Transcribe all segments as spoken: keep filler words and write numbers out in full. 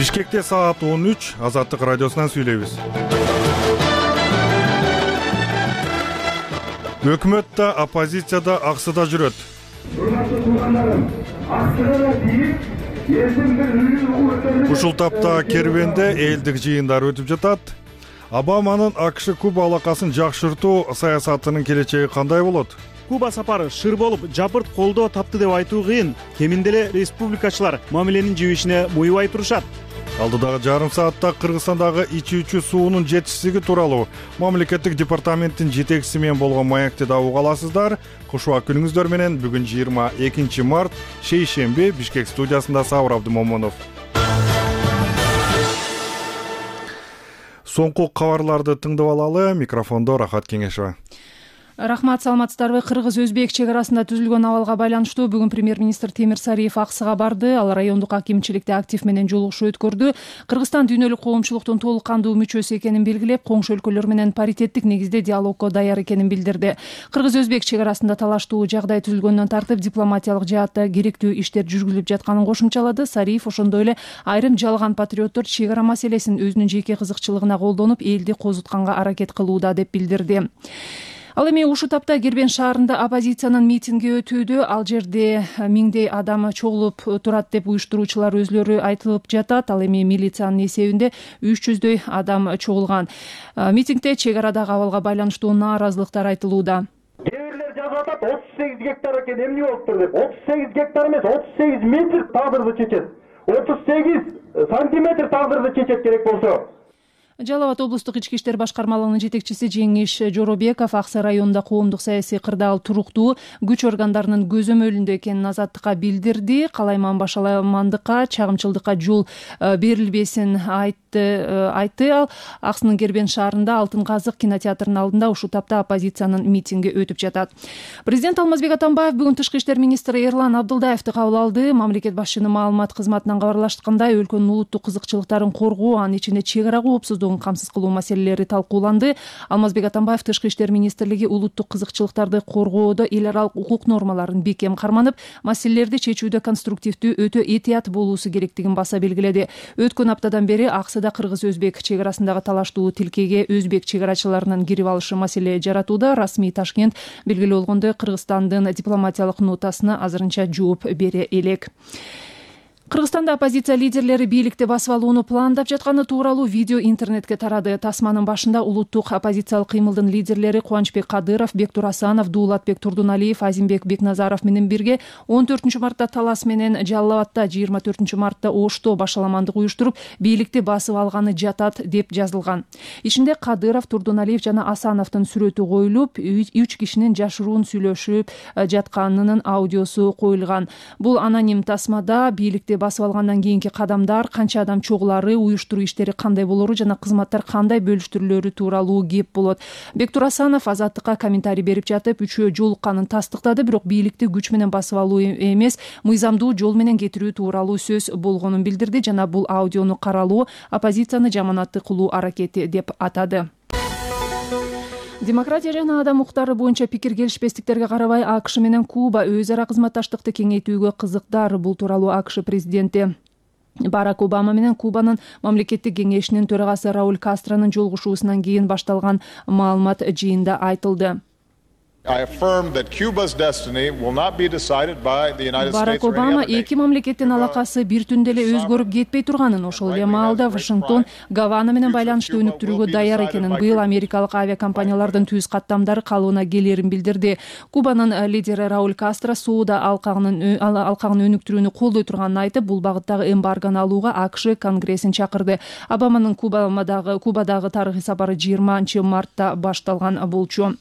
Бишкекте саат он үч, Азаттык радиосунан сүйлөйбүз. Өкмөт да, оппозиция да аксыда жүрөт. Ушул тапта кербенде элдик жыйындар өтүп жатат. Обаманын АКШ Куба алакасын жакшыртуу саясатынын келечеги кандай болот? Куба сапары шыр болуп, жапырт колдоо тапты деп айтуу кыйын. Кеминде эле республикачылар мамиленин жибишине буйбай турушат. Алдыдагы жарым саатта Кыргызстандагы ичүүчү суунун жетишсиздиги тууралуу мамлекеттик департаменттин жетекчиси менен болгон маекти да уга аласыздар. Кушуак күнүңүздөр менен бүгүн жыйырма экинчи март, шейшемби, Бишкек студиясында Сабыр Абдымомунов. Соңку кабарларды тыңдап алалы. Микрофондо Рахат Кеңешова. Рахмат, саламатсыздарбы? Кыргыз-Өзбек чек арасында түзүлгөн абалга байланыштуу бүгүн премьер-министр Темир Сариев Аксыга барды. Ал райондук акимчиликте актив менен жолугушуу өткөрдү. Кыргызстан дүйнөлүк коомчулуктун толук кандуу мүчөсү экенин белгилеп, коңшу өлкөлөр менен паритеттик негизде диалогко даяр экенин билдирди. Кыргыз-Өзбек чек арасында талаштуу жагдай түзүлгөндөн тартып дипломатиялык жаатта керектүү иштер жүргүзүлүп жатканын кошумчалады. Сариев ошондой эле айрым жалган патриоттор чек ара маселесин өзүнүн жеке кызыкчылыгына колдонуп, элди козутканга аракет кылууда деп билдирди. Ал эми ушул тапта Кербен шаарында оппозициянын митинги өтүүдө. Ал жерде миңдей адам чогулуп турат деп уюштуруучулар өзлөрү айтылып жатат. Ал эми милициянын эсебинде үч жүздөй адам чогулган. Митингде чек арадагы абалга байланыштуу нааразылыктар айтылууда. Кээ бирлер жазып атат отуз сегиз гектар экен, эмне болуптур деп. отуз сегиз гектар эмес, отуз сегиз метр тагдырды чечет. отуз сегиз сантиметр тагдырды чечет керек болсо. Жалал Абад облустук ички иштер башкармалыгынын жетекчиси Жеңиш Жоробеков Аксы районунда коомдук саясий кырдаал туруктуу, күч органдарынын көзөмөлүндө экенин Азаттыкка билдирди. Калайман башаламандыкка, чагымчылдыкка жол берилбесин айтты. айтты Ал Аксынын Кербен шаарында Алтын казык кинотеатрынын алдында ушул тапта оппозициянын митинги өтүп жатат. Президент Алмазбек Атамбаев бүгүн Тышкы иштер министри Эрлан Абдылдаевди кабыл алды. Мамлекет башчынын маалымат кызматынан кабарлашкандай, өлкөнүн улуттук кызыкчылыктарын коргоо, анын ичинде чек ара коопсуздугун камсыз кылуу маселелери талкууланды. Алмазбек Атамбаев Тышкы иштер министрлиги улуттук кызыкчылыктарды коргоодо эл аралык укук нормаларын бекем карманып, маселелерди чечүүдө конструктивдүү, өтө этият болуусу керектигин баса белгиледи. Өткөн аптадан бери Аксыда Кыргыз-Өзбек чек арасындагы талаштуу тилкеге өзбек чек арачыларынын кирип алышы маселе жаратууда. Расмий Ташкент белгилүү болгондой Кыргызстандын дипломатиялык нотасына азырынча жооп бере элек. Кыргызстанда оппозиция лидерлери бийликти басып алууну пландап жатканы тууралуу видео интернетке тарады. Тасманын башында улуттук оппозициялык кыймылдын лидерлери Кубанычбек Кадыров, Бектур Асанов, Дуулатбек Турдуналиев, Азимбек Бекназаров менен бирге он төртүнчү мартта Талас менен Жалал Абадта, жыйырма төртүнчү мартта Ошто башаламандык уюштуруп, бийликти басып алганы жатат деп жазылган. Ичинде Кадыров, Турдуналиев жана Асановдун сүрөтү коюлуп, үч кишинин жашыруун сүйлөшүп жатканынын аудиосу коюлган. Бул аноним тасмада бийликти басып алгандан кийинки кадамдар, канча адам чогулары, уюштуруу иштери кандай болору жана кызматтар кандай бөлүштүрүлөрү тууралуу кеп болот. Бектур Асанов Азаттыкка комментарий берип жатып, үчөө жолукканын тастыктады, бирок бийликти күч менен басып алуу эмес, мыйзамдуу жол менен кетирүү тууралуу сөз болгонун билдирди жана бул аудиону каралуу оппозицияны жаманатты кылуу аракети деп атады. Демократия жана адам укуктары боюнча пикир келишпестиктерге карабай АКШ менен Куба өз ара кызматташтыкты кеңейтүүгө кызыктар. Бул тууралуу АКШ президенти Барак Обама менен Кубанын мамлекеттик кеңешинин төрагасы Рауль Кастронун жолугушуусунан кийин башталган маалымат жыйында айтылды. Барак Обама эки мамлекеттин алакасы бир түндө эле өзгөрүп кетпей турганын, ошол эле маалда Вашингтон Гавана менен байланышты өнүктүрүүгө даяр экенин, быйыл америкалык авиакомпаниялардын түз каттамдары калыбына келерин билдирди. Кубанын лидери Рауль Кастро соода алкагынын алкагын өнүктүрүүнү колдой турганын айтып, бул багыттагы эмбаргону алууга АКШ Конгрессин чакырды. Обаманын Кубадагы Кубадагы тарыхый сапары жыйырманчы мартта башталган болчу.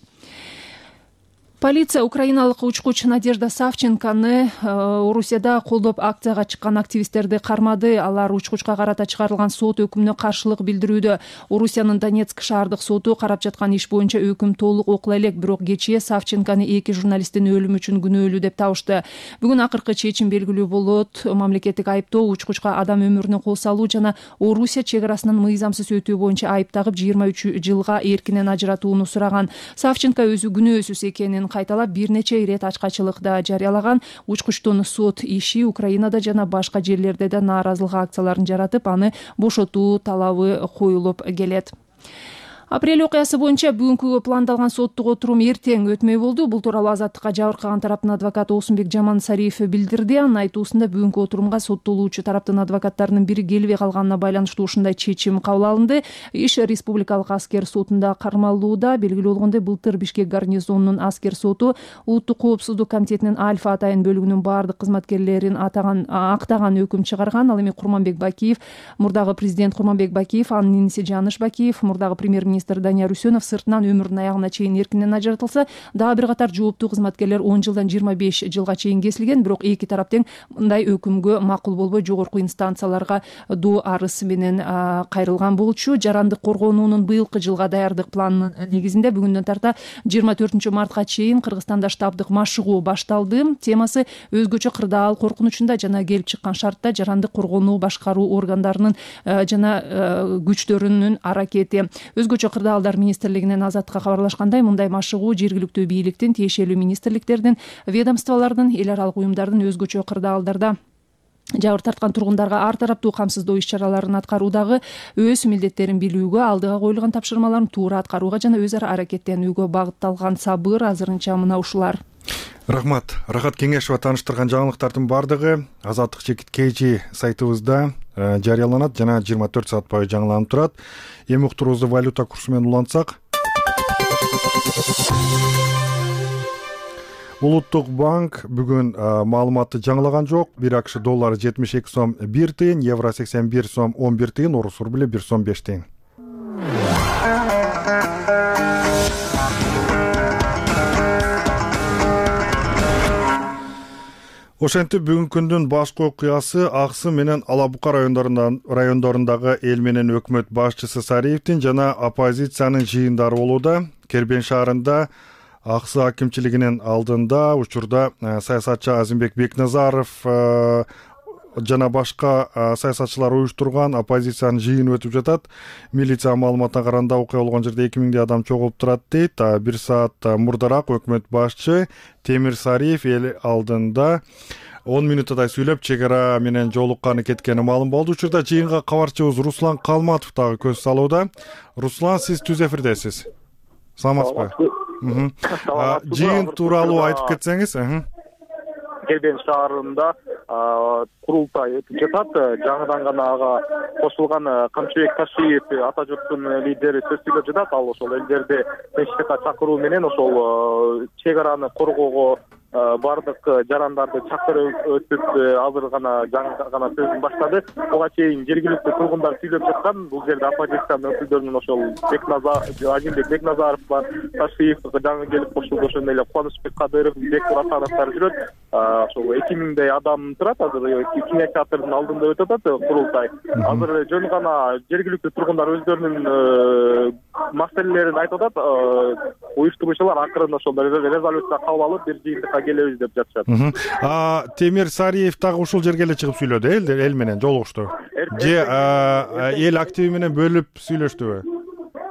Полиция украиналык учкуч Надежда Савченконы Орусияда колдоп акцияга чыккан активисттерди кармады. Алар учкучка карата чыгарылган сот өкүмүнө каршылык билдирүүдө. Орусиянын Донецк шаардык соту карап жаткан иш боюнча өкүм толук окула элек, бирок кечээ Савченконы эки журналисттин өлүмү үчүн күнөөлүү деп табышты. Бүгүн акыркы чечим белгилүү болот. Мамлекеттик айыптоо учкучка адам өмүрүнө кол салуу жана Орусия чек арасынын мыйзамсыз өтүү боюнча айып тагып жыйырма үч жылга эркинен ажыратууну сураган. Савченко өзү күнөөсүз экенин кайталап бир нече ирет ачкачылык да жарыялаган. Учкучтун сот иши Украинада жана башка жерлерде да нааразылык акцияларын жаратып, аны бошотуу талабы коюлуп келет. Апрель окуясы боюнча бүгүнкү пландалган соттук отурум эртең өтмөй болду. Бул тууралуу Азаттыкка жабыркаган тараптын адвокаты Осунбек Жамансариев билдирди. Анын айтуусунда бүгүнкү отурумга соттолуучу тараптын адвокаттарынын бири келбей калганына байланыштуу ушундай чечим кабыл алынды. Иш Республикалык аскер сотунда кармалууда. Белгилүү болгондой, былтыр Бишкек гарнизонунун аскер соту Улуттук коопсуздук комитетинин Альфа атайын бөлүгүнүн баардык кызматкерлерин атаган актаган өкүм чыгарган. Ал эми Курманбек Бакиев, мурдагы президент Курманбек Бакиев, анын иниси Жаныш Бакиев, мурдагы премьер-министр Данияр Үсөнов сыртынан өмүрүнүн аягына чейин эркинен ажыратылса, дагы бир катар жооптуу кызматкерлер он жылдан жыйырма беш жылга чейин кесилген. Бирок эки тарап тең мындай өкүмгө макул болбой жогорку инстанцияларга доо арыз менен кайрылган болчу. Жарандык коргоонуунун быйылкы жылга даярдык планынын негизинде бүгүндөн тарта жыйырма төртүнчү мартка чейин Кыргызстанда штабдык машыгуу башталды. Темасы өзгөчө кырдаал коркунучунда жана келип чыккан шартта жарандык коргонуу башкаруу органдарынын жана күчтөрүнүн аракети. Өзгөчө кырдаалдар министрлигинен Азаттыкка кабарлашкандай, мындай машыгуу жергиликтүү бийликтин, тиешелүү министрликтердин, ведомстволордун, эл аралык уюмдардын өзгөчө кырдаалдарда жабыр тарткан тургундарга ар тараптуу камсыздоо иш-чараларын аткаруудагы өз милдеттерин билүүгө, алдыга коюлган тапшырмаларын туура аткарууга жана өз ара аракеттенүүгө багытталган. Сабыр азырынча мына ушулар. Рахмат. Рахат Кеңешова тааныштырган жаңылыктардын бардыгы Азаттык чекит kg сайтыбызда жарыяланат жана жыйырма төрт саат бою жаңыланып турат. Эми уктуруубузду валюта курсу менен улантсак, Улуттук банк бүгүн маалыматты жаңылаган жок. Бир акш доллары жетимиш эки сом бир тыйын, евро сексен бир сом он бир тыйын, орус рубли бир сом беш тыйын. Ошентип бүгүнкү күндүн башкы окуясы Аксы менен Ала Бука райондорундагы эл менен өкмөт башчысы Сариевдин жана оппозициянын жыйындары болууда. Кербен шаарында Аксы акимчилигинин алдында учурда саясатчы Азимбек Бекназаров жана башка саясатчылар уюштурган оппозициянын жыйыны өтүп жатат. Милиция маалыматына караганда окуя болгон жерде эки миңдей адам чогулуп турат дейт. Бир саат мурдараак өкмөт башчы Темир Сариев эл алдында он мүнөттөй сүйлөп чек ара менен жолукканы кеткени маалым болду. Учурда жыйынга кабарчыбыз Руслан Калматов дагы көз салууда. Руслан, сиз түз эфирдесиз. Саламатсызбы? Жыйын тууралуу айтып кетсеңиз. Кербен шаарында курултай өтүп жатат. Жаңыдан гана ага кошулган Камчыбек Ташиев ата журттун лидери сөз сүйлөп жатат. Ал ошол элдерди тынчтыкка чакыруу менен ошол чек араны коргоого бардык жарандарды чакырып өтүп азыр гана жаңы гана сөзүн баштады. Буга чейин жергиликтүү тургундар сүйлөп жаткан. Бул жерде оппозициянын өкүлдөрүнүн ошол Азимбек Бекназаров бар, Ташиев жаңы келип кошулду. Ошондой эле Кубанычбек Кадыров, Бек Буратановдор жүрөт. Ошол эки миңдей адам турат. Азыр Кеңеш театрдын алдында өтүп атат курултай. Азыр жөн гана жергиликтүү тургундар өздөрүнүн маселелерин айтып атат. Уюштуруучулар акырын ошол резолюция кабыл алып бир жыйынтыкка келебиз деп жатышат. Темир Сариев дагы ушул жерге эле чыгып сүйлөдү, эл эл менен жолугушту. Же эл активи менен бөлүп сүйлөштүбү?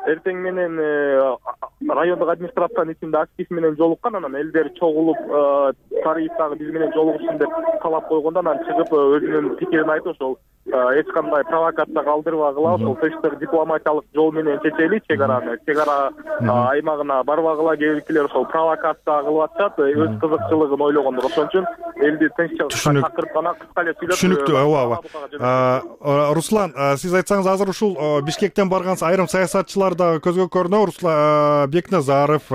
Эртең менен райондук администрациянын ичинде актив менен жолуккан, анан элдер чогулуп Сариев дагы биз менен жолугушун деп талап койгондо анан чыгып өзүнүн пикирин айтып, ошол эч кандай провокация калтырбагыла, ошол тынчтык дипломатиялык жол менен чечели чек араны. Чек ара аймагына барбагыла, кээбиркилер ошол провокация кылып атышат, өз кызыкчылыгын ойлогондор. Ошон үчүн элди тынччылыкка чакырып гана кыска эле сүйлөп. Түшүнүктүү, ооба. Руслан, сиз айтсаңыз, азыр ушул Бишкектен барган айрым саясатчылар дагы көзгө көрүнөт. Руслан Бекназаров,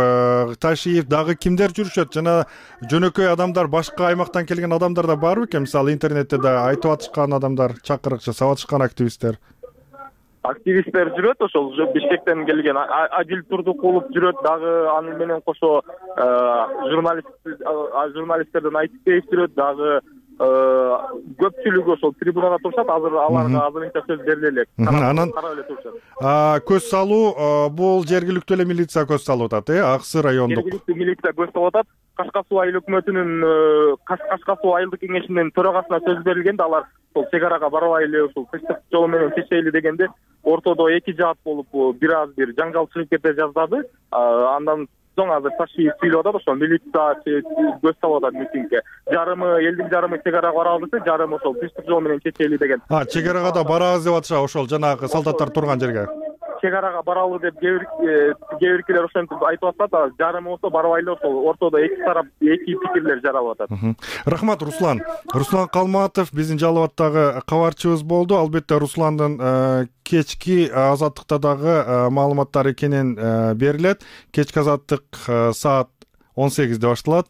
Ташиев дагы кимдер жүрүшөт жана жөнөкөй адамдар, башка аймактан келген адамдар да барбы экен? Мисалы интернетте да айтып атышкан адамдар, чакырыкчы сабатышкан активисттер. Активисттер жүрөт, ошол Бишкектен келген Адил Турдукулов жүрөт дагы, аны менен кошо журналист журналисттерден Айтбеев жүрөт дагы. Көпчүлүгү ошол трибунада турушат. Азыр аларга азырынча сөз бериле элек. Анан көз салуу бул жергиликтүү эле милиция көз салып атат, э? Аксы райондук. Жергиликтүү милиция көз салып атат. Кашка Суу айыл өкмөтүнүн Кашка Суу айылдык кеңешинин төрагасына сөз берилгенде алар ошол чек арага барбай эле ошол тынчтык жолу менен чечели дегенде ортодо эки жаат болуп бир аз бир жаңжал чыгып кете жаздады. Андан азыр таши сүйлөп атат, ошо милиция көз салып атат митингге. Жарымы элдин жарымы чек арага бара алды, жарымы ошол тынчтык жол менен чечели деген. А, чек арага да барабыз деп атышат, ошол жанагы солдаттар турган жерге. Чек арага баралы деп кээ биркилер ошентип айтып атат, жарымы болсо барбайлы, ошол ортодо эки тарап эки пикирлер жаралып атат. Рахмат, Руслан. Руслан Калматов биздин Жалал Абадтагы кабарчыбыз болду. Албетте Русландын кечки Азаттыкта дагы маалыматтар экенин берилет. Кечки Азаттык саат он сегизде башталат.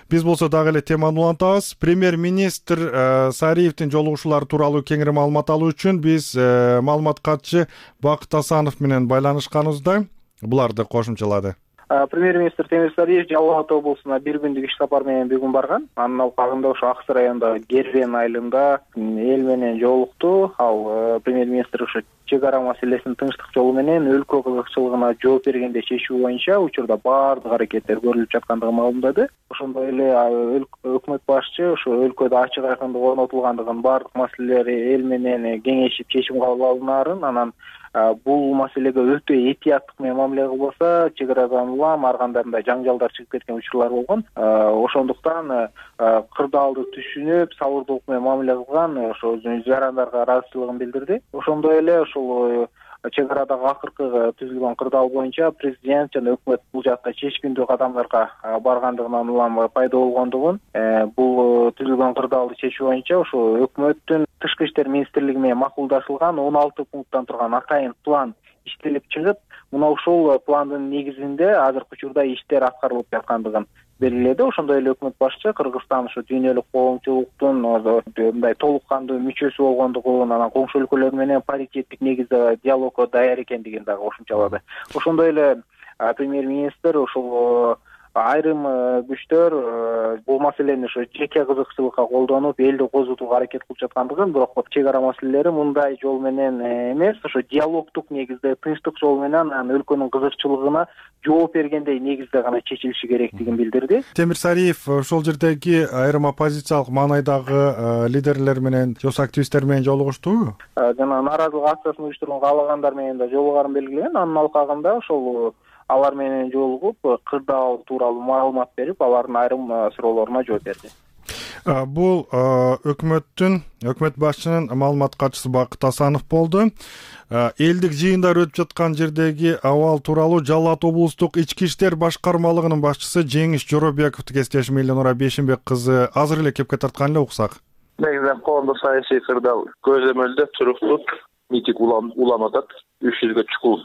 Биз болсо дагы эле теманы улантабыз. Премьер-министр Сариевдин жолугушуулары тууралуу кеңири маалымат алуу үчүн биз маалымат катчы Бакыт Асанов менен байланышканыбызда буларды кошумчалады. Премьер-министр Темир Сариев Жалал Абад облусуна бир күндүк иш сапар менен бүгүн барган. Анын алкагында ошо Ак Суу районундагы Гербен айылында эл менен жолукту. Ал премьер-министр ошо чек ара маселесин тынчтык жолу менен өлкө кызыкчылыгына жооп бергенде чечүү боюнча учурда баардык аракеттер көрүлүп жаткандыгын маалымдады. Ошондой эле өкмөт башчы ошо өлкөдө ачык айкындык орнотулгандыгын, баардык маселелер эл менен кеңешип чечим кабыл алынаарын, анан бул маселеге өтө этияттык менен мамиле кылбаса, чек арадан улам ар кандай жаңжалдар чыгып кеткен учурлар болгон. Ошондуктан кырдаалды түшүнүп, сабырдуулук менен мамиле кылган, ошо өзүнүн жарандарга ыраазычылыгын билдирди. Ошондой эле ошол чек арадагы акыркы түзүлгөн кырдаал боюнча президент жана өкмөт бул жакта чечкиндүү кадамдарга баргандыгынан улам пайда болгондугун, бул түзүлгөн кырдаалды чечүү боюнча ошо өкмөттүн тышкы иштер министрлиги менен макулдашылган он алты пункттан турган атайын план иштелип чыгып, мына ушул пландын негизинде азыркы учурда иштер аткарылып жаткандыгын белгиледи. Ошондой эле өкмөт башчы Кыргызстан ошо дүйнөлүк коомчулуктун мындай толук кандуу мүчөсү болгондугун, анан коңшу өлкөлөр менен паритеттик негизде диалогго даяр экендигин дагы кошумчалады. Ошондой эле премьер-министр ошол айрым күчтөр бул маселени ошо жеке кызыкчылыкка колдонуп элди козутууга аракет кылып жаткандыгын, бирок чек ара маселелери мындай жол менен эмес, ошо диалогдук негизде, тынчтык жол менен анан өлкөнүн кызыкчылыгына жооп бергендей негизде гана чечилиши керектигин билдирди. Темир Сариев ошол жердеги айрым оппозициялык маанайдагы лидерлер менен, жос активисттер менен жолугуштубу? Жана нааразылык акциясын уюштурууну каалагандар менен да жолугарын белгилеген. Анын алкагында ошол алар менен жолугуп, кырдаал тууралуу маалымат берип, алардын айрым суроолоруна жооп берди. Бул өкмөттүн, өкмөт башчынын маалымат катчысы Бакыт Асанов болду. Элдик жыйындар өтүп жаткан жердеги абал тууралуу Жалал Абад облустук ички иштер башкармалыгынын башчысы Жеңиш Жоробековду кесиптешим Эленора Бейшенбек кызы азыр эле кепке тарткан эле уксак. Негизинен коомдук саясий кырдаал көзөмөлдө туруктуу митинг уланып атат. үч жүзгө чукул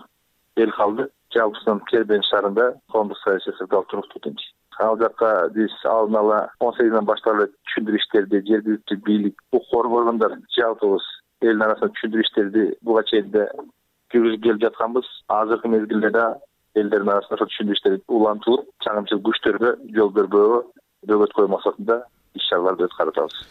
эл калды. Жалпысынан Кербен шаарында коомдук саясий кырдаал туруктуу тынч. Ал жакка биз алдын ала он сегизден баштап эле түшүндүрүү иштерди жергиликтүү бийлик, укук органдар жалпыбыз элдин арасында түшүндүрүү иштерди буга чейин да жүргүзүп келип жатканбыз. Азыркы мезгилде да элдердин арасында ошол түшүндүрүү иштери улантылып, чагымчыл күчтөргө жол бербөөгө бөгөт коюу максатында иш чараларды өткөрүп атабыз.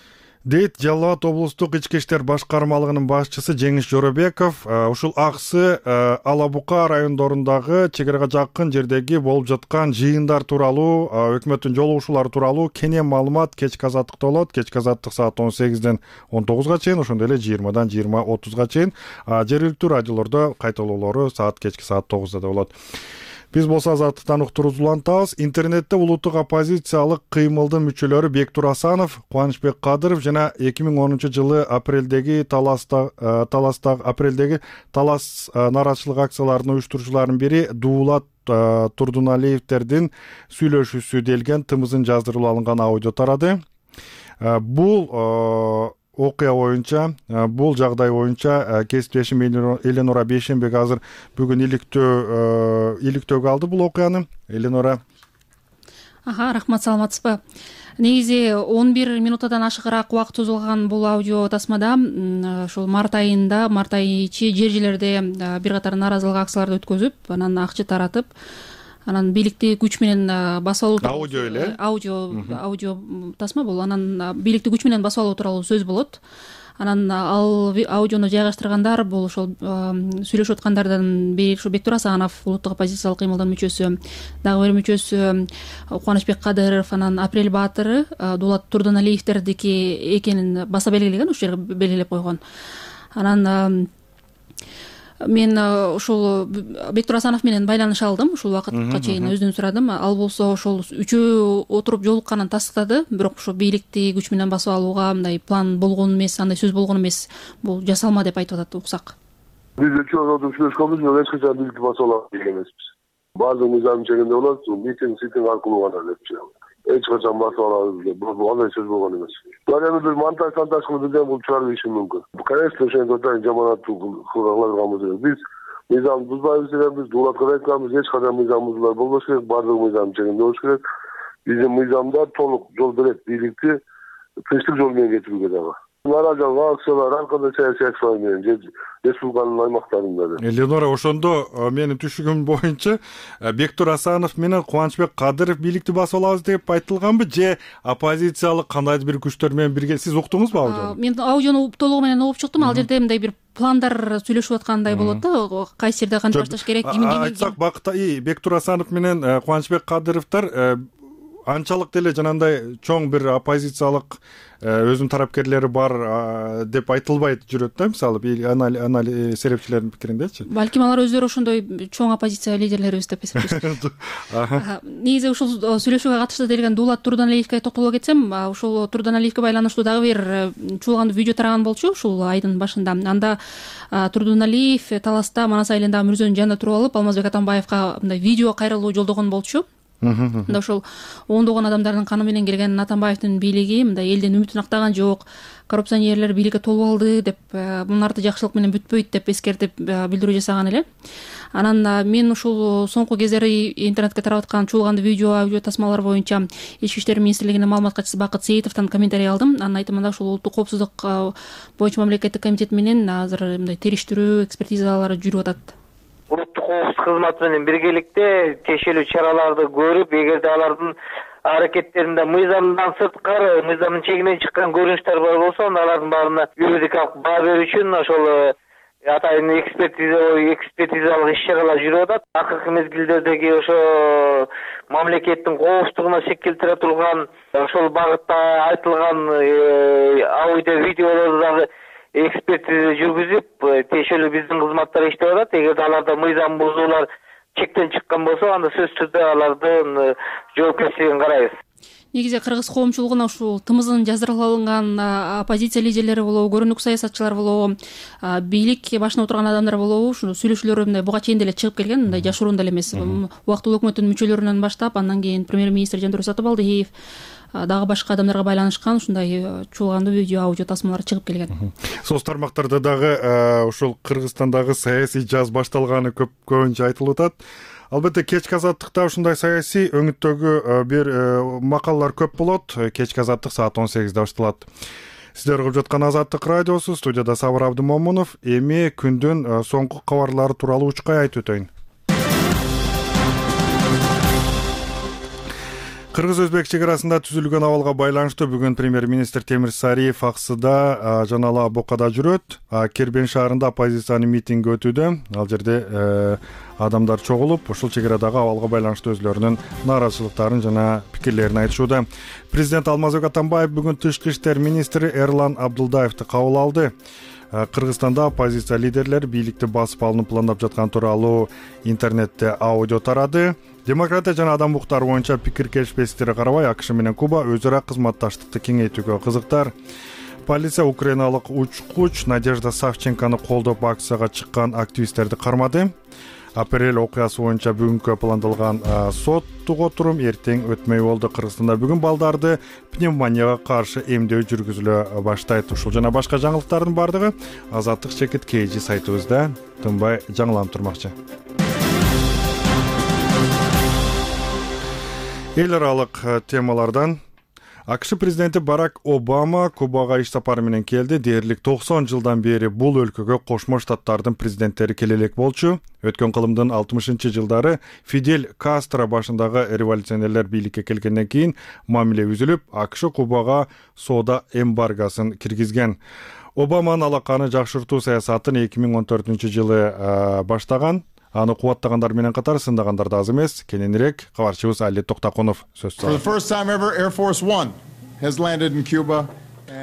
Дейт Жалал Абад облустук ички иштер башкармалыгынын башчысы Жеңиш Жоробеков. Ушул Аксы Ала Бука райондорундагы чек арага жакын жердеги болуп жаткан жыйындар тууралуу, өкмөттүн жолугушуулары тууралуу кенен маалымат кечки Азаттыкта болот. Кечки Азаттык саат он сегизден он тогузга чейин, ошондой эле жыйырмадан жыйырма отузга чейин, жергиликтүү радиолордо кайталоолору саат кечки саат тогузда да болот. Биз болсо Азаттыктан уктуруубузду улантабыз. Интернетте улуттук оппозициялык кыймылдын мүчөлөрү Бектур Асанов, Кубанычбек Кадыров жана эки миң онунчу жылы апрелдеги таласта таласта апрелдеги талас нааразычылык акцияларынын уюштуруучуларынын бири Дуулат Турдуналиевтердин сүйлөшүүсү делген тымызын жаздырылып алынган аудио тарады. Бул окуя боюнча, бул жагдай боюнча кесиптешим Эленора Бейшенбек азыр бүгүн иликтөө иликтөөгө алды бул окуяны. Эленора. Аха, рахмат, саламатсызбы? Негизи он бир минуттан ашыгыраак убакыт созулган бул аудио тасмада ошол март айында, март айы ичи жер жерлерде бир катар нааразылык акцияларды өткөзүп, анан акча таратып, анан бийликти күч менен басып алуу аудио эле аудио аудио тасма бул. Анан бийликти күч менен басып алуу тууралуу сөз болот. Анан ал аудиону жайгаштыргандар бул ошол сүйлөшүп аткандардан бири ошо Бектур Асанов, улуттук оппозициялык кыймылдын мүчөсү, дагы бир мүчөсү Кубанычбек Кадыров, анан Апрель Баатыры Дуулат Турдуналиевтердики экенин баса белгилеген, ушул жерге белгилеп койгон. Анан мен ошол Бектур Асанов менен байланыша алдым, ушул убакытка чейин өзүнөн сурадым. Ал болсо ошол үчөө отуруп жолукканын тастыктады, бирок ошо бийликти күч менен басып алууга мындай план болгон эмес, андай сөз болгон эмес, бул жасалма деп айтып атат, уксак. Биз үчөө отуруп сүйлөшкөнбүз, бирок эч качан бийликти басып алам деген эмеспиз. Баардык мыйзам чегинде болот, митинг ситинг аркылуу гана депчи. Эч качан басып алабыз деп, бул андай сөз болгон эмес. Бул эми бир монтаж монтаж кылып бирден бул чыгарып ийиши мүмкүн. Конечно, ошентип атайын жаманат кыла турганбыз эмес. Биз мыйзамды бузбайбыз дегенбиз, дулатка да айтканбыз, эч кандай мыйзам бузуулар болбош керек, баардык мыйзам чегинде болуш керек. Биздин мыйзамдар толук жол берет бийликти тынчтык жол менен кетирүүгө дагы. Нааразылык акциялар ар кандай саясий акциялар менен же республиканын аймактарында да. Элеонора, ошондо менин түшүгүм боюнча Бектур Асанов менен Кубанычбек Кадыров бийликти басып алабыз деп айтылганбы, же оппозициялык кандайдыр бир күчтөр менен бирге? Сиз уктуңузбу аудиону? Мен аудиону толугу менен угуп чыктым. Ал жерде мындай бир пландар сүйлөшүп аткандай болот да, кайсы жерде канча башташ керек, кимин кимин. Айтсак бакта Бектур Асанов менен Кубанычбек Кадыровдор анчалык деле жанагындай чоң бир оппозициялык өзүнүн тарапкерлери бар деп айтылбайт жүрөт да, мисалы анализ серепчилердин пикириндечи. Балким алар өздөрү ошондой чоң оппозиция лидерлерибиз деп эсептешет. Негизи ушул сүйлөшүүгө катыштуу делген Дулат Турданалиевге токтоло кетсем, ушул Турданалиевге байланыштуу дагы бир чуулгандуу видео тараган болчу ушул айдын башында. Анда Турданалиев Таласта Манас айылындагы мүрзөнүн жанында туруп алып, Алмазбек Атамбаевга мындай видео кайрылуу жолдогон болчу. Мында ошол ондогон адамдардын каны менен келген Атамбаевдин бийлиги мындай элдин үмүтүн актаган жок, коррупционерлер бийликке толуп алды деп, мунун арты жакшылык менен бүтпөйт деп эскертип билдирүү жасаган эле. Анан мен ушул соңку кездери интернетке тарап аткан чуулгандуу видео, аудио тасмалар боюнча Ички иштер министрлигинин маалымат катчысы Бакыт Сейитовдон комментарий алдым. Анын айтымында ушул улуттук коопсуздук боюнча мамлекеттик комитет менен азыр мындай териштирүү экспертизалары жүрүп атат. Улуттук коопсуздук кызматы менен биргеликте тиешелүү чараларды көрүп, эгерде алардын аракеттеринде мыйзамдан сырткары, мыйзамдын чегинен чыккан көрүнүштөр бар болсо, анда алардын баарына юридикалык баа берүү үчүн ошол атайын экспертиза экспертизалык иш-чаралар жүрүп атат. Акыркы мезгилдердеги ошо мамлекеттин коопсуздугуна шек келтире турган ошол багытта айтылган аудио видеолорду дагы экспертиза жүргүзүп, тиешелүү биздин кызматтар иштеп атат. Эгерде аларда мыйзам бузуулар чектен чыккан болсо, анда сөзсүз түрдө алардын жоопкерчилигин карайбыз. Негизи кыргыз коомчулугуна ушул тымызын жаздырып алынган оппозиция лидерлери болобу, көрүнүк саясатчылар болобу, бийлик башына отурган адамдар болобу, ушул сүйлөшүүлөр мындай буга чейин деле чыгып келген, мындай жашыруунда эле эмес. Убактылуу өкмөттүн мүчөлөрүнөн баштап, андан кийин премьер-министр Жандырбек Сатыбалдиев, дагы башка адамдарга байланышкан ушундай чуулгандуу видео, аудио тасмалар чыгып келген. Соц тармактарда дагы ушул Кыргызстандагы саясий жаз башталганы көп көбүнчө айтылып атат. Албетте кечки азаттыкта ушундай саясий өңүттөгү бир макалалар көп болот. Кечки азаттык саат он сегизде башталат. Сиздер угуп жаткан Азаттык радиосу, студияда Сабыр Абдымомунов. Эми күндүн соңку кабарлары тууралуу учкай айтып өтөйүн. Кыргыз-Өзбек чек арасында түзүлгөн абалга байланыштуу бүгүн премьер-министр Темир Сариев Аксыда жана Ала Бокада жүрөт. Кербен шаарында оппозициянын митинги өтүүдө. Ал жерде адамдар чогулуп, ушул чек арадагы абалга байланыштуу өзлөрүнүн нааразычылыктарын жана пикирлерин айтышууда. Президент Алмазбек Атамбаев бүгүн тышкы иштер министри Эрлан Абдулдаевди кабыл алды. Кыргызстанда оппозиция лидерлери бийликти басып алууну пландап жаткан тууралуу интернетте аудио тарады. Демократия жана адам укуктары боюнча пикир келишпестиктерге карабай, АКШ менен Куба өз ара кызматташтыкты кеңейтүүгө кызыктар. Полиция украиналык учкуч Надежда Савченкону колдоп акцияга чыккан активисттерди кармады. Апрель окуясы боюнча бүгүнкү пландалган соттук отурум эртең өтмөй болду. Кыргызстанда бүгүн балдарды пневмонияга каршы эмдөө жүргүзүлө баштайт. Ушул жана башка жаңылыктардын бардыгы Азаттык чекит kg сайтыбызда тынбай жаңыланып турмакчы. Эл аралык темалардан АКШ президенти Барак Обама Кубага иш сапары менен келди. Дээрлик токсон жылдан бери бул өлкөгө Кошмо Штаттардын президенттери келе элек болчу. Өткөн кылымдын алтымышынчы жылдары Фидель Кастро башындагы революционерлер бийликке келгенден кийин мамиле үзүлүп, АКШ Кубага соода эмбаргосын киргизген. Обаманын алаканы жакшыртуу саясатын эки миң он төртүнчү жылы баштаган. Аны кубаттагандар менен катар сындагандар да аз эмес. Кененирээк кабарчыбыз Али Токтакунов сөз алды.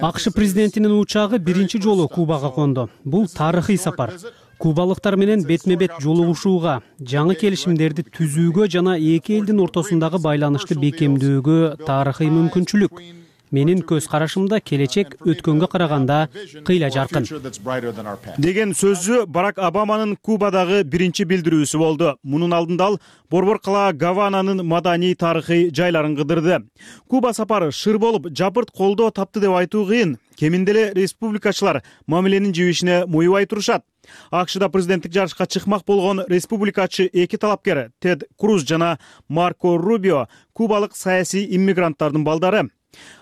АКШ президентинин учагы биринчи жолу Кубага конду. Бул тарыхый сапар. кубалыктар менен бетме бет жолугушууга, жаңы келишимдерди түзүүгө жана эки элдин ортосундагы байланышты бекемдөөгө тарыхый мүмкүнчүлүк. Менин көз карашымда келечек өткөнгө караганда кыйла жаркын деген сөзү Барак Обаманын Кубадагы биринчи билдирүүсү болду. Мунун алдында ал борбор кала Гавананын маданий тарыхый жайларын кыдырды. Куба сапары шыр болуп, жапырт колдоо тапты деп айтуу кыйын. Кеминде эле республикачылар мамиленин жибишине моюбай турушат. АКШда президенттик жарышка чыкмак болгон республикачы эки талапкер Тед Круз жана Марко Рубио кубалык саясий иммигранттардын балдары.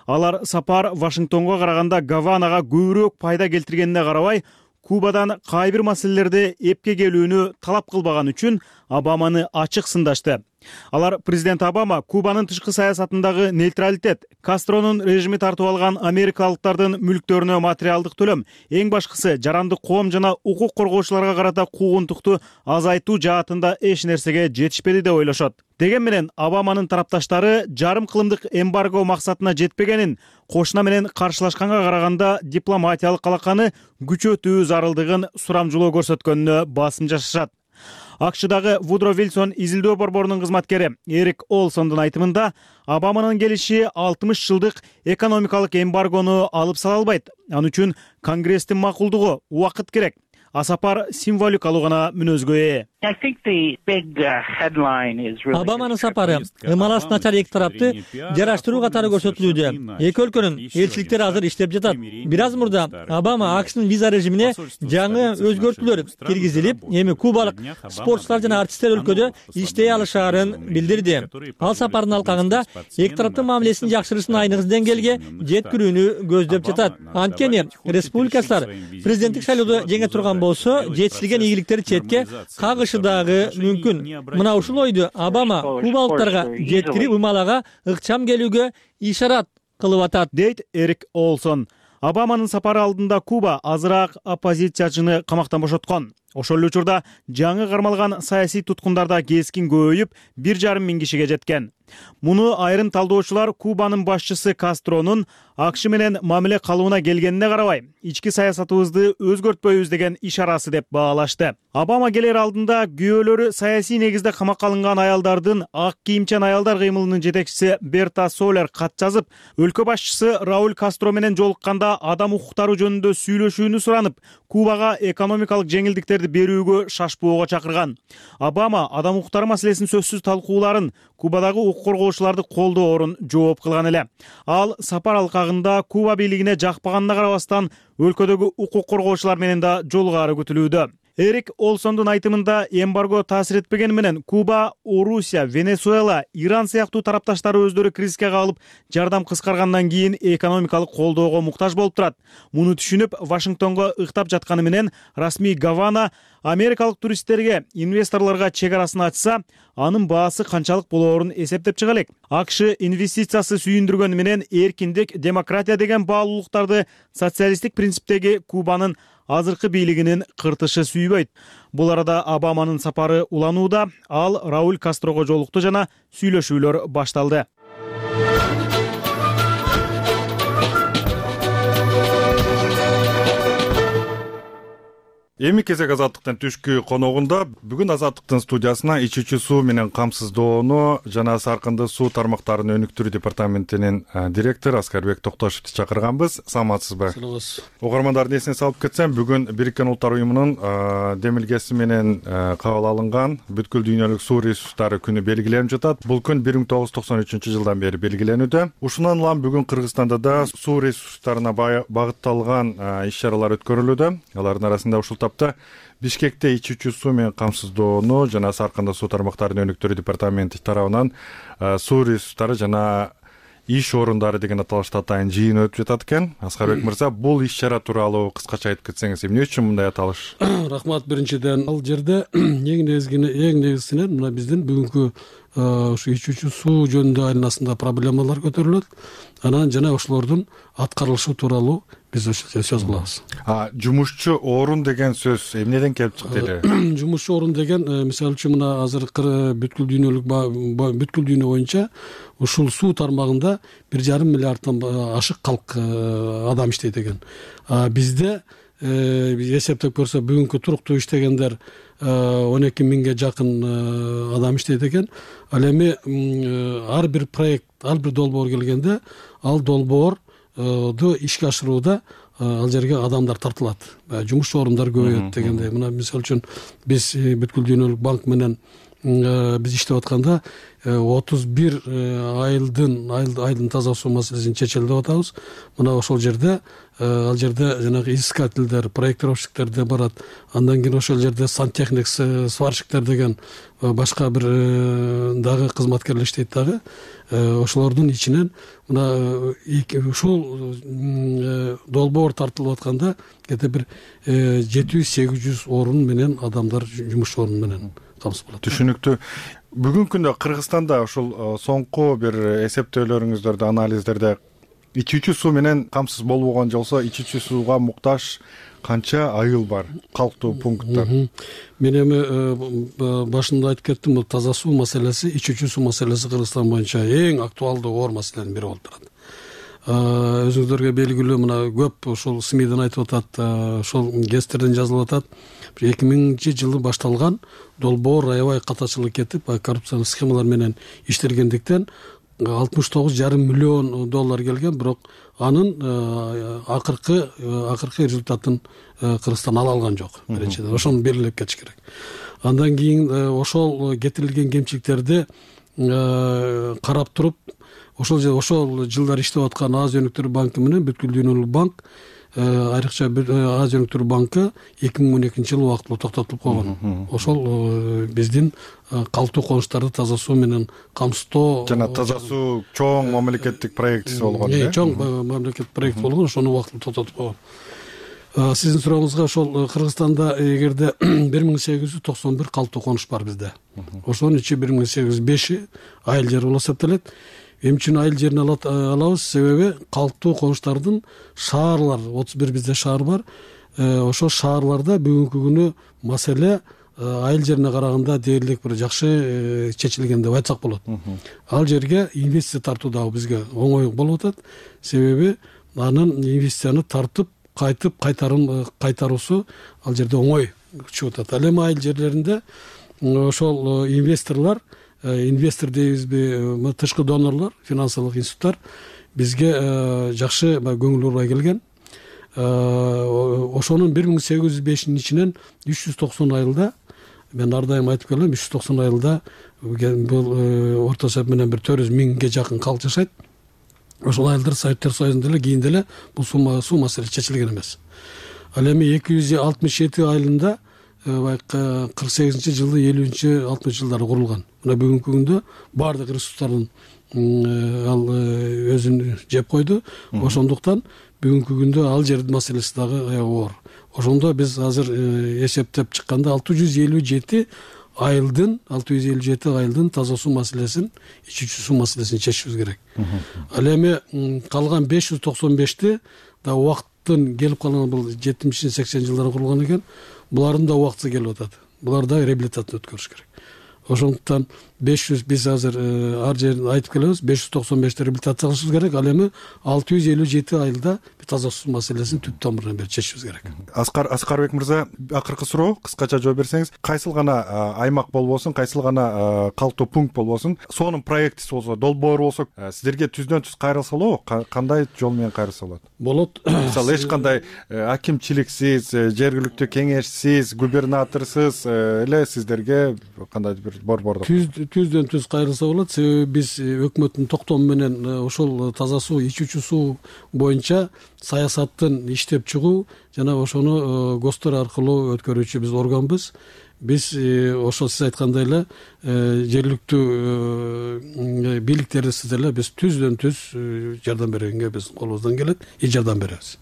Алар сапар Вашингтонго караганда Гаванага көбүрөөк пайда келтиргенине карабай, Кубадан кай бир маселелерди эпке келүүнү талап кылбаган үчүн Обаманы ачык сындашты. Алар президент Обама Кубанын тышкы саясатындагы нейтралитет, Кастронун режими тартып алган америкалыктардын мүлктөрүнө материалдык төлөм, эң башкысы жарандык коом жана укук коргоочуларга карата куугунтукту азайтуу жаатында эч нерсеге жетишпеди деп ойлошот. Деген менен Обаманын тарапташтары жарым кылымдык эмбарго максатына жетпегенин, кошуна менен каршылашканга караганда дипломатиялык алаканы күчөтүү зарылдыгын сурамжылоо көрсөткөнүнө басым жасашат. АКШдагы Вудро Вилсон изилдөө борборунун кызматкери Эрик Олсондун айтымында, Обаманын келиши алтымыш жылдык экономикалык эмбаргону алып сала албайт. Ал үчүн Конгресстин макулдугу, убакыт керек. А сапар символикалуу гана мүнөзгө ээ. Обаманын сапары ымаласы начар эки тарапты жараштыруу катары көрсөтүлүүдө. Эки өлкөнүн элчиликтери азыр иштеп жатат. Бир аз мурда Обама АКШнын виза режимине жаңы өзгөртүүлөр киргизилип, эми кубалык спортчулар жана артисттер өлкөдө иштей алышаарын билдирди. Ал сапардын алкагында эки тараптын мамилесин жакшырышын айныгы деңгээлге жеткирүүнү көздөп жатат. Анткени республикачылар президенттик шайлоодо жеңе турган болсо, жетишилген ийгиликтери четке кагышы дагы мүмкүн. Мына ушул ойду Обама кубалыктарга жеткирип ымалага ыкчам келүүгө ишарат кылып атат, дейт Эрик Олсон. Обаманын сапары алдында Куба азыраак оппозициячыны камактан бошоткон. Ошол эле учурда жаңы кармалган саясий туткундарда кескин көбөйүп, бир жарым миң кишиге жеткен. Муну айрым талдоочулар Кубанын башчысы Кастронун АКШ менен мамиле калыбына келгенине карабай, ички саясатыбызды өзгөртпөйбүз деген ишарасы деп баалашты. Обама келер алдында күйөөлөрү саясий негизде камакка алынган аялдардын ак кийимчен аялдар кыймылынын жетекчиси Берта Солер кат жазып, өлкө башчысы Рауль Кастро менен жолукканда адам укуктары жөнүндө сүйлөшүүнү суранып, Кубага экономикалык жеңилдиктерди берүүгө шашпоого чакырган. Обама адам укуктары маселесин сөзсүз талкууларын, Кубадагы укук коргоочуларды колдоорун жооп кылган эле. Ал сапар алкагында Куба бийлигине жакпаганына карабастан, өлкөдөгү укук коргоочулар менен да жолугары күтүлүүдө. Эрик Олсондун айтымында, эмбарго таасир этпегени менен Куба, Орусия, Венесуэла, Иран сыяктуу тарапташтары өздөрү кризиске калып, жардам кыскаргандан кийин экономикалык колдоого муктаж болуп турат. Муну түшүнүп, Вашингтонго ыктап жатканы менен расмий Гавана америкалык туристтерге, инвесторлорго чек арасын ачса, анын баасы канчалык болоорун эсептеп чыга элек. АКШ инвестициясы сүйүндүргөнү менен эркиндик, демократия деген баалуулуктарды социалисттик принциптеги Кубанын азыркы бийлигинин кыртышы сүйбөйт. Бул арада Обаманын сапары уланууда, ал Рауль Кастрого жолукту жана сүйлөшүүлөр башталды. Эми кезек Азаттыктын түшкү коногунда бүгүн Азаттыктын студиясына ичүүчү суу менен камсыздоону жана саркынды суу тармактарынын өнүктүрүү департаментинин директору Аскарбек Токтошевду чакырганбыз. Саламатсызбы? Саламатсыз. Угармандардын эсине салып кетсем, бүгүн Бириккен Улуттар уюмунун демилгеси менен кабыл алынган бүткүл дүйнөлүк суу ресурстары күнү белгиленип жатат. Бул күн бир миң тогуз жүз токсон үчүнчү жылдан бери белгиленүүдө. Ушундан улам бүгүн Кыргызстанда да суу ресурстарына багытталган иш-чаралар өткөрүлүүдө. Алардын арасында ушул тапта Бишкекте ичүүчү суу менен камсыздоону жана саркынды суу тармактарынын өнүктүрүү департаменти тарабынан суу ресурстары жана иш орундары деген аталышта атайын жыйын өтүп жатат экен. Аскарбек мырза, бул иш-чара тууралуу кыскача айтып кетсеңиз, эмне үчүн мындай аталыш? Рахмат. Биринчиден, ал жерде эң негизгиси эң негизгисинен мына биздин бүгүнкү ушу ичүүчү суу жөнүндө айланасында проблемалар көтөрүлөт. Анан жана ошолордун аткарылышы тууралуу биз сөз кылабыз. А жумушчу орун деген сөз эмнеден келип чыкты эле? Жумушчу орун деген, мисалы үчүн, мына азыркы бүткүл дүйнөлүк бүткүл дүйнө боюнча ушул суу тармагында бир жарым миллиарддан ашык калк адам иштейт экен. Бизде эсептеп көрсө бүгүнкү туруктуу иштегендер он эки миңге жакын адам иштейт экен. Ал эми ар бир проект, ар бир долбоор келгенде ал долбоорду ишке ашырууда ал жерге адамдар тартылат, жумуш орундар көбөйөт дегендей. Мына мисалы үчүн биз бүткүл дүйнөлүк банк менен биз иштеп атканда отуз бир айылдын айылдын таза суу маселесин чечели деп атабыз. Мына ошол жерде ал жерде жанагы изыскательдер, проектировщиктер де барат. Андан кийин ошол жерде сантехник, сварщиктер деген башка бир дагы кызматкерлер иштейт дагы. Ошолордун ичинен мына ушул долбоор тартылып атканда где-то бир жети жүз сегиз жүз орун менен адамдар жумуш орун менен камсыз болот. Түшүнүктүү. Бүгүнкү күндө Кыргызстанда ушул соңку бир эсептөөлөрүңүздөрдө, анализдерде ичүүчү суу менен камсыз болбогон болсо, ичүүчү сууга муктаж канча айыл бар, калктуу пункттар? Мен эми башында айтып кеттим, бул таза суу маселеси, ичүүчү суу маселеси Кыргызстан боюнча эң актуалдуу оор маселенин бири болуп турат. Өзүңүздөргө белгилүү, мына көп ушул СМИден айтып атат, ошол гезиттерден жазылып атат. эки миңинчи жылы башталган долбоор аябай катачылык кетип, коррупциялык схемалар менен иштелгендиктен алтымыш тогуз жарым миллион доллар келген, бирок анын акыркы акыркы результатын Кыргызстан ала алган жок. Биринчиден ошону белгилеп кетиш керек. Андан кийин ошол кетирилген кемчиликтерди карап туруп, ошол ошол жылдар иштеп аткан Азия өнүктүрүү банкы менен бүткүл дүйнөлүк банк, айрыкча Азия өнүктүрүү банкы эки миң он экинчи жылы убактылуу токтотулуп койгон. Ошол биздин калктуу конуштарды таза суу менен камсыздоо жана таза суу чоң мамлекеттик проектиси болгон. Э, чоң мамлекеттик проект болгон, ошону убактылуу токтотуп койгон. Сиздин сурооңузга, ошол Кыргызстанда эгерде бир миң сегиз жүз токсон бир калктуу конуш бар бизде. Ошонун ичи бир миң сегиз жүз беши айыл жер болуп эсептелет. Эмне үчүн айыл жерин алабыз? Себеби калктуу конуштардын шаарлар, отуз бир бизде шаар бар. Ошол шаарларда бүгүнкү күнү маселе айыл жерине караганда дээрлик бир жакшы чечилген деп айтсак болот. Ал жерге инвестиция тартуу дагы бизге оңой болуп атат. Себеби анын инвестицияны тартып, кайтып кайтарым кайтаруусу ал жерде оңой чыгып атат. Ал эми айыл жерлеринде ошол инвесторлор, инвестор дейбизби, тышкы донорлор, финансылык институттар бизге жакшы көңүл бурбай келген. Ошонун бир миң сегиз жүз бешинин ичинен үч жүз токсон айылда, мен ар дайым айтып келем, үч жүз токсон айылда бул орто эсеп менен бир төрт жүз миңге жакын калк жашайт. Ошол айылдар Советтер Союзунда эле, кийин деле бул суу маселеси чечилген эмес. Ал эми эки жүз алтымыш жети айылында кырк сегизинчи жылы, элүүнчү, алтымышынчы жылдары курулган. Мына бүгүнкү күндө баардык ресурстарын ал өзүн жеп койду. Ошондуктан бүгүнкү күндө ал жердин маселеси дагы аябай оор. Ошондо биз азыр эсептеп чыкканда алты жүз элүү жети айылдын, алты жүз элүү жети айылдын таза суу маселесин, ичүүчү суу маселесин чечишибиз керек. Ал эми калган беш жүз токсон бешти да убакыттын келип калган, бул жетимиш сексен жылдары курулган экен. Булардын да убакыты келип атат. Булар да реабилитация өткөрүш керек. Ошондуктан беш жүз, биз азыр ар жерин айтып келебиз, беш жүз токсон бешти реабилитация кылышыбыз керек. Ал эми алты жүз элүү жети айылда таза суу маселесин түп тамырынан бери чечишибиз керек. Аскар Аскарбек мырза, акыркы суроо, кыскача жооп берсеңиз, кайсыл гана аймак болбосун, кайсыл гана калктуу пункт болбосун, сонун проектиси болсо, долбоор болсо, сиздерге түздөн түз кайрылса болобу? Кандай жол менен кайрылса болот? Болот. Мисалы, эч кандай акимчиликсиз, жергиликтүү кеңешсиз, губернаторсуз эле сиздерге кандай бир борбордук түздөн түз кайрылса болот. Себеби биз өкмөттүн токтому менен ошол таза суу, ичүүчү суу боюнча саясаттын иштеп чыгуу жана ошону ГОСТор аркылуу өткөрүүчү биз органбыз. Биз ошол сиз айткандай эле жергиликтүү бийликтерибиз деле биз түздөн түз жардам бергенге биз колубуздан келет, и жардам беребиз.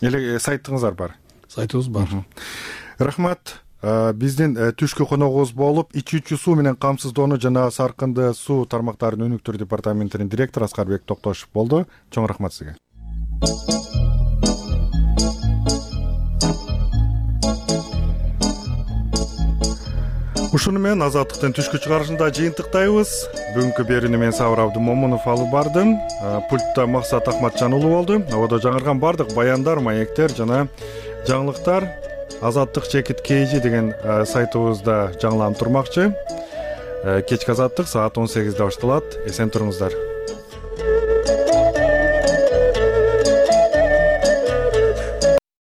Эле сайтыңыздар бар? Сайтыбыз бар. Рахмат. Биздин түшкү коногубуз болуп, ичүүчү суу менен камсыздоону жана саркынды суу тармактарын өнүктүрүү департаментинин директору Аскарбек Токтошов болду. Чоң рахмат сизге. Ушуну менен Азаттыктын түшкү чыгарышында жыйынтыктайбыз. Бүгүнкү берүүнү мен Сабыр Абдымомунов алып бардым. Пультта Максат Ахматжан уулу болду. Абада жаңырган бардык баяндар, маектер жана жаңылыктар азаттык чекит kg деген сайтыбызда жаңыланып турмакчы. Кечки азаттык саат он сегизде башталат. Эсен туруңуздар.